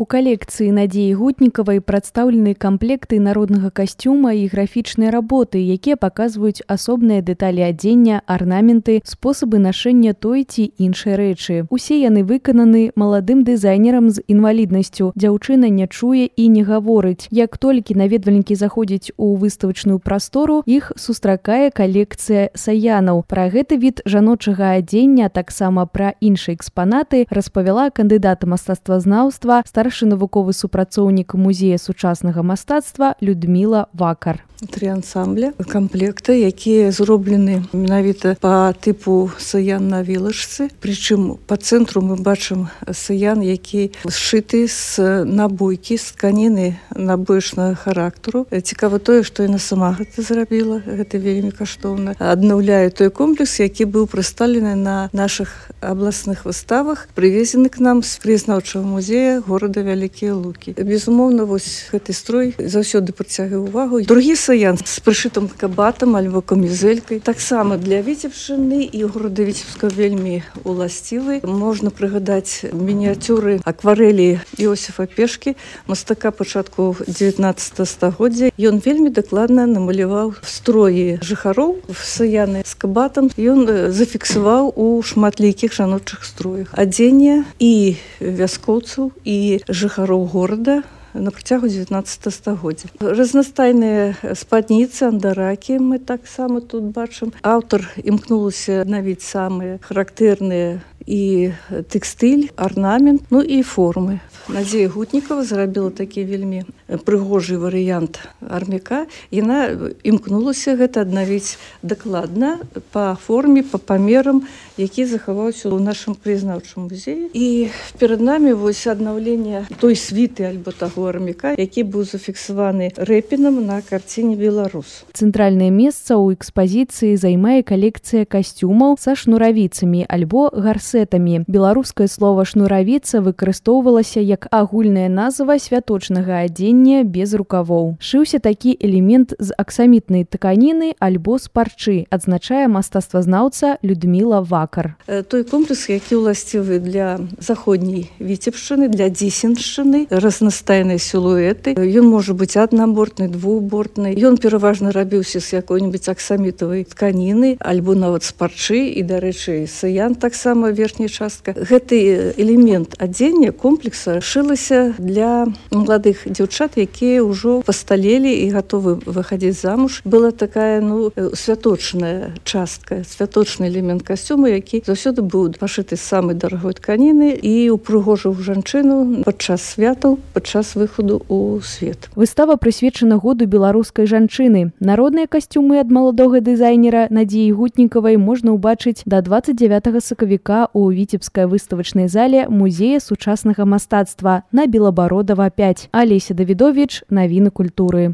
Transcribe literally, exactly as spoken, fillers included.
У калекцыі Надзеі Гутнікавай прадстаўлены камплекты народнага касцюма і графічныя работы, якія паказваюць асобныя дэталі адзення, арнаменты, спосабы нашэння той ці іншай рэчы. Усе яны выкананы маладым дызайнерам з інваліднасцю. Дзяўчына не чуе і не гаворыць. Як толькі наведвальнікі заходзяць у выставачную прастору, іх сустракае калекцыя саянаў. Пра гэты від жаночага адзення, таксама пра іншыя экспанаты, распавяла кандыдат мастацтвазнаўства, старшы навуковы супрацоўнік музея сучаснага мастацтва Людміла Вакар. Тры ансамбля камплекта, якія зроблены менавіта па тыпу саян на вілачцы. Прычым па цэнтру мы бачым саян, які сшыты з набойкі, з тканіны набоечнага характару. Цікава тое, што яна сама гэта зрабіла, гэта вельмі каштоўна. Аднаўляе той комплекс, які быў прадстаўлены на нашых абласных выставах, прывезены к нам з краязнаўчага музея горада Вялікія Лукі. Безумоўна, вось гэты строй заўсёды прыцягвае увагу. Другі саян з прышытым кабатам альбо камізэлькай. Таксама для Віцебшчыны і горада Віцебска вельмі уласцівы. Можна прыгадаць мініяцюры акварэлі Іосіфа Пешкі, мастака пачатку дзевятнаццатага стагоддзя. Ён вельмі дакладна намаляваў строі жыхароў саяны з кабатам. Ён зафіксаваў у шматлікіх жаночых строях адзення і вяскоўцаў, і жыхароў горада на працягу дзевятнаццатага стагоддзя. Разнастайныя спадніцы, андаракі мы таксама тут бачым. Аўтар імкнулася аднавіць самыя характэрныя і тэкстыль, арнамент, ну і формы. Надзея Гутнікава зрабіла такі вельмі прыгожы варыянт армяка. Яна імкнулася гэта аднавіць дакладна па форме, па памерам, які захаваўся ў нашым краязнаўчым музеі. І перад намі вось аднаўленне той світы альбо таго армяка, які быў зафіксаваны рэпінам на карціне «Беларус». Цэнтральнае месца ў экспазіцыі займае калекцыя касцюмаў са шнуравіцамі альбо гарсетамі. Беларускае слова «шнуравіца» выкарыстоўвалася як агульная назва святочнага адзення без рукавоў. Шыўся такі элемент з аксамітнай тканіны альбо з парчы, адзначае мастацтвазнаўца Людміла Вакар. Той комплекс, які ўласцівы для заходняй Віцебшчыны, для Дзесеншчыны, разнастайныя сілуэты. Ён можа быць аднабортны, двухбортны. Ён пераважна рабіўся з якой-небудзь аксамітавай тканіны альбо нават з парчы, і, дарэчы, саян таксама верхняя частка. Гэты элемент адзення комплекса шылася для маладых дзяўчат, якія ўжо пасталелі і гатовы выхадзіць замуж. Была такая, ну, святочная частка, святочны элемент касцюма, які заўсёды быў пашыты з самай дарагой тканіны і упрыгожыў жанчыну падчас святаў, падчас выхаду ў свет. Выстава прысвечана году беларускай жанчыны. Народныя касцюмы ад маладога дызайнера Надзеі Гутнікавай можна ўбачыць да дваццаць дзявятага сакавіка ў віцебскай выставачнай зале музея сучаснага мастацтва на Белабародава пяць. Алеся Давідовіч, навіны культуры.